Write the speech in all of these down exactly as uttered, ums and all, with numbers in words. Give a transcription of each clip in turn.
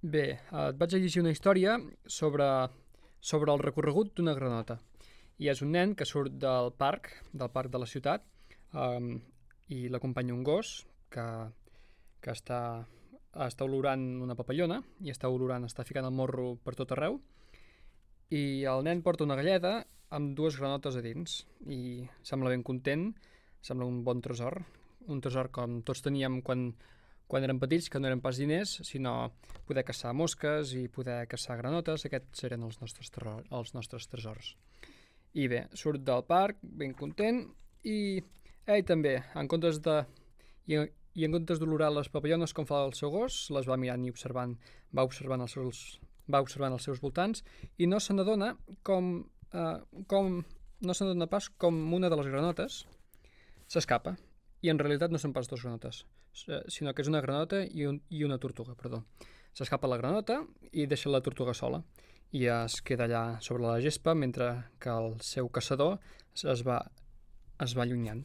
Bé, et vaig a llegir una història sobre, sobre el recorregut d'una granota. I és un nen que surt del parc, del parc de la ciutat, um, i l'acompanya un gos que, que està, està olorant una papallona i està olorant, està ficant el morro per tot arreu. I el nen porta una galleda amb dues granotes a dins i sembla ben content, sembla un bon tresor, un tresor com tots teníem quan quan érem petits, que no eren pas diners, sinó poder caçar mosques i poder caçar granotes. Aquests eren els nostres, terror, els nostres tresors. I bé, surt del parc, ben content, i ell també, en comptes de... I, i en comptes d'olorar les papallones com fa el seu gos, les va mirant i observant, va observant els seus, va observant els seus voltants, i no se n'adona com, eh, com... no se n'adona pas com una de les granotes s'escapa. I en realitat no són pas dos granotes, sinó que és una granota i, un, i una tortuga, perdó. S'escapa la granota i deixa la tortuga sola i es queda allà sobre la gespa mentre que el seu caçador es va, es va allunyant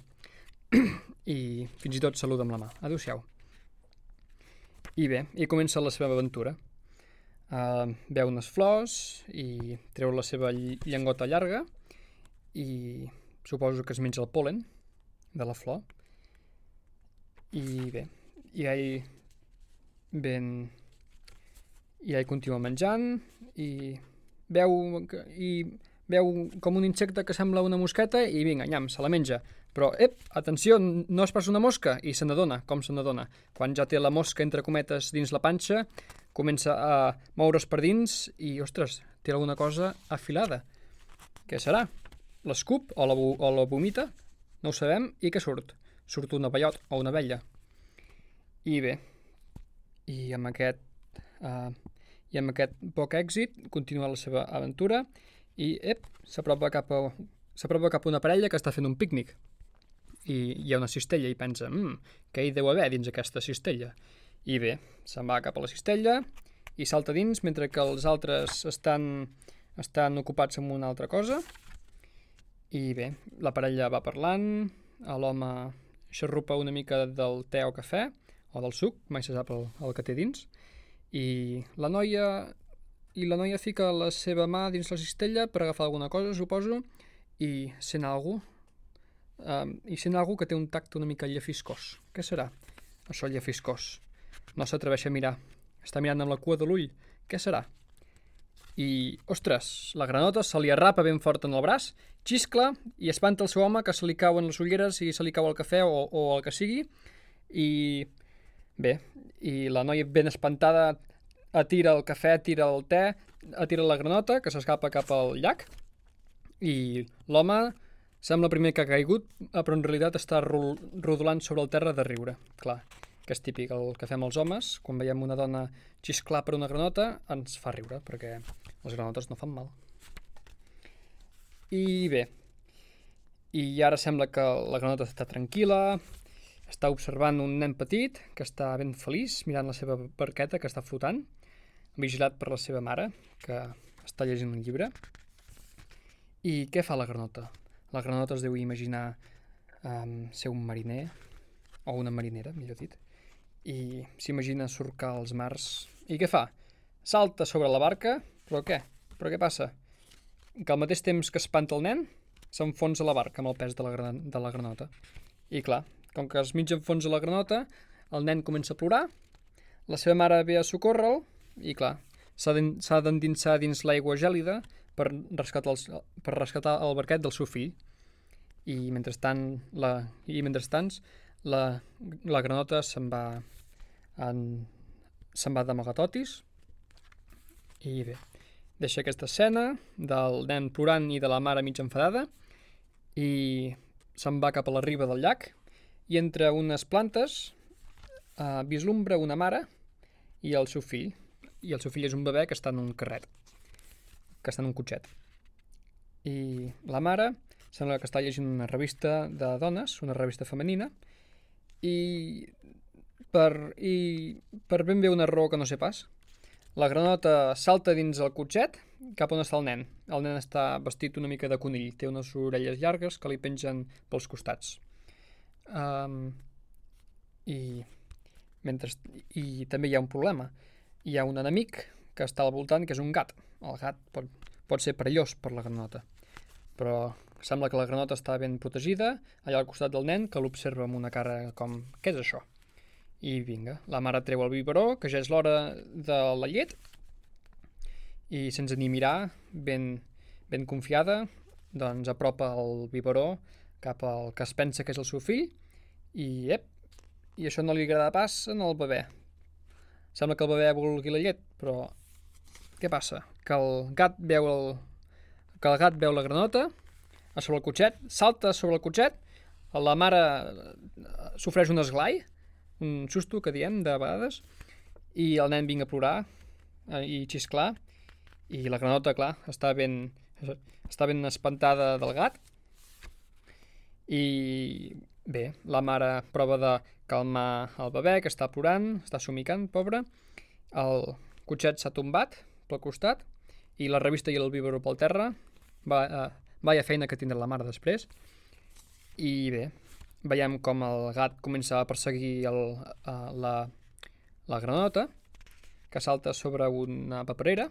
i fins i tot saluda amb la mà. Adéu-siau. I bé, i comença la seva aventura. Uh, veu unes flors i treu la seva llengota llarga i suposo que es menja el pol·len de la flor. I bé, i ell ben... i ell continua menjant i veu, i veu com un insecte que sembla una mosqueta i vinga, nyam, se la menja. Però, ep, atenció, no és pas una mosca, i se n'adona, com se n'adona. Quan ja té la mosca, entre cometes, dins la panxa, comença a moure's per dins i, ostres, té alguna cosa afilada. Què serà? L'escup o la, o la vomita? No ho sabem. I què surt? Surt un abellot o una abella. I bé, i amb aquest, uh, i amb aquest poc èxit continua la seva aventura i ep, s'apropa cap a, s'apropa cap a una parella que està fent un pícnic. I hi ha una cistella i pensa, mmm, què hi deu haver dins aquesta cistella? I bé, se'n va cap a la cistella i salta dins mentre que els altres estan, estan ocupats amb una altra cosa. I bé, la parella va parlant, l'home xarrupa una mica del te o cafè, o del suc, mai se sap el, el que té dins, i la noia i la noia fica la seva mà dins la cistella per agafar alguna cosa, suposo, i sent algú, um, i sent algú que té un tacte una mica llefiscós. Què serà? Això llefiscós. No s'atreveix a mirar. Està mirant amb la cua de l'ull. Què serà? I, ostres, la granota se li arrapa ben fort en el braç, xiscla i espanta el seu home que se li cauen les ulleres i se li cau el cafè o, o el que sigui. I bé, i la noia ben espantada atira el cafè, atira el te, atira la granota que s'escapa cap al llac i l'home sembla primer que ha caigut, però en realitat està rodolant sobre el terra de riure. Clar, que és típic, el que fem els homes, quan veiem una dona xisclar per una granota, ens fa riure, perquè les granotes no fan mal. I bé, i ara sembla que la granota està tranquil·la, està observant un nen petit que està ben feliç, mirant la seva barqueta que està flotant, vigilat per la seva mare, que està llegint un llibre. I què fa la granota? La granota es deu imaginar um, ser un mariner, o una marinera, millor dit, i s'imagina surcar els mars. I què fa? Salta sobre la barca, però què? Però què passa? Que al mateix temps que espanta el nen, s'enfonsa la barca amb el pes de la, gran... de la granota. I clar, com que es mig enfonsa la granota, el nen comença a plorar, la seva mare ve a socórrer-lo, i clar, s'ha d'endinsar dins l'aigua gèlida per rescatar, els, per rescatar el barquet del seu fill. I mentrestant, la, i mentrestant la, la granota se'n va, en, se'n va d'amagatotis, i bé, deixa aquesta escena del nen plorant i de la mare mig enfadada, i se'n va cap a la riba del llac, i entre unes plantes eh, vislumbra una mare i el seu fill. I el seu fill és un bebè que està en un carret, que està en un cotxet. I la mare sembla que està llegint una revista de dones, una revista femenina, i per, i per ben bé una raó que no sé pas, la granota salta dins el cotxet cap on està el nen. El nen està vestit una mica de conill, té unes orelles llargues que li pengen pels costats. Um, i, mentre, I també hi ha un problema. hi ha un enemic que està al voltant, que és un gat. El gat pot, pot ser perillós per la granota, però sembla que la granota està ben protegida, allà al costat del nen, que l'observa amb una cara com, què és això? I vinga, la mare treu el biberó, que ja és l'hora de la llet, i sense ni mirar, ben, ben confiada, doncs apropa el biberó cap al que es pensa que és el seu fill, i ep, i això no li agrada pas en el bebè. Sembla que el bebè vulgui la llet, però què passa? Que el gat veu el, que el gat veu la granota a sobre el cotxet, salta sobre el cotxet, la mare sofreix un esglai, un susto que diem de vegades, i el nen vinga a plorar eh, i xisclar, i la granota, clar, està ben, està ben espantada del gat, i bé, la mare prova de calmar el bebè, que està plorant, està somicant, pobre, el cotxet s'ha tombat pel costat, i la revista i el biberó pel terra, va, eh, vaya feina que tindrà la mare després, i bé, veiem com el gat comença a perseguir el, uh, la, la granota, que salta sobre una paperera,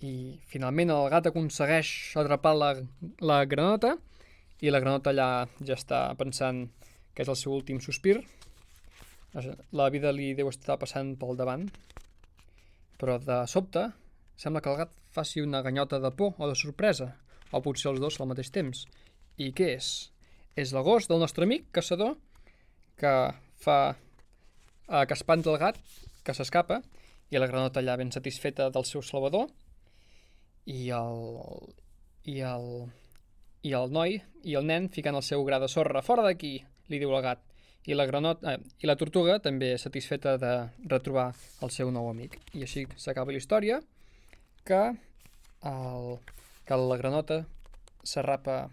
i finalment el gat aconsegueix atrapar la, la granota, i la granota allà ja està pensant que és el seu últim sospir. La vida li deu estar passant pel davant, però de sobte sembla que el gat faci una ganyota de por o de sorpresa, o potser els dos al mateix temps. I què és? És el gos del nostre amic caçador que fa eh, que espanta el gat, que s'escapa, i la granota allà ben satisfeta del seu salvador, i el, i el, i el noi i el nen ficant el seu gra de sorra. Fora d'aquí, li diu el gat. I la, granota, eh, i la tortuga també satisfeta de retrobar el seu nou amic. I així s'acaba la història, que, el, que la granota s'arrapa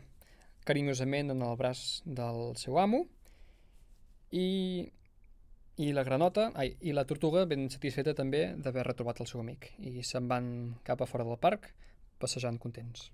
carinyosament en el braç del seu amo, i, i la granota, ai, i la tortuga ben satisfeta també d'haver retrobat el seu amic, i se'n van cap a fora del parc passejant contents.